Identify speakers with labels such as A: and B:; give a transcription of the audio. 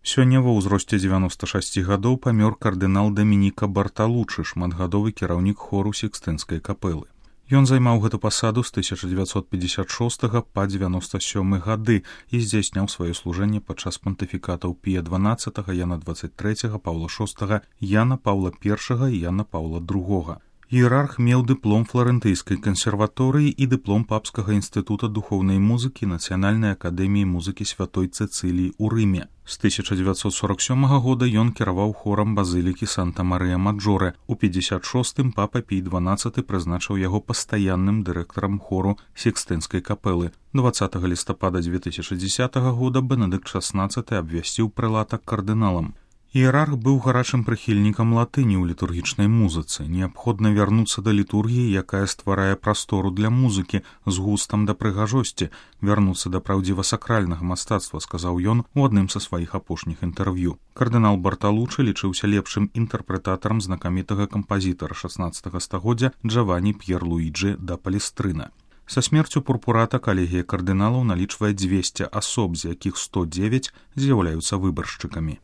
A: Сёння ва ўзросце 96 гадоў памёр кардынал Дамініка Барталучы, шматгадовы кіраўнік хору Сікстынскай капэлы. Ён займаў гэту пасаду з 1956 па 97 гады і здзяйсняў сваё служэнне падчас пантыфікатаў Пія XII, Яна XXIII, Паўла VI, Яна Паўла I і Яна Паўла II. Іерарх меў дыплом фларэнтыйскай кансерваторыі і дыплом папскага інстытута духоўнай музыкі Нацыянальнай акадэміі музыкі Святой Цэцыліі ў Рыме. З 1947 года ён кіраваў хорам базылікі Санта-Марыя-Маджоре. У 56-м папа Пій XII прызначыў яго пастаянным дырэктарам хору Сікстынскай капэлы. 20 лістапада 2010 года Бенедыкт XVI абвясціў прэлата кардыналам. Іерарх быў гарачым прыхільнікам латыні ў літургічнай музыцы. Неабходна вярнуцца да літургіі, якая стварае прастору для музыкі з густам да прыгажосці, вярнуцца да праўдзіва-сакральнага мастацтва, сказаў ён у адным са сваіх апошніх інтэрв'ю. Кардынал Барталучы лічыўся лепшым інтэрпрэтатарам знакамітага кампазітара 16 стагоддзя Джавані П'ер-Луіджы да Палестрына. Са смерцю пурпурата калегія кардыналаў налічвае 200 асоб, з якіх 109 з'яўляюцца выбаршчыкамі.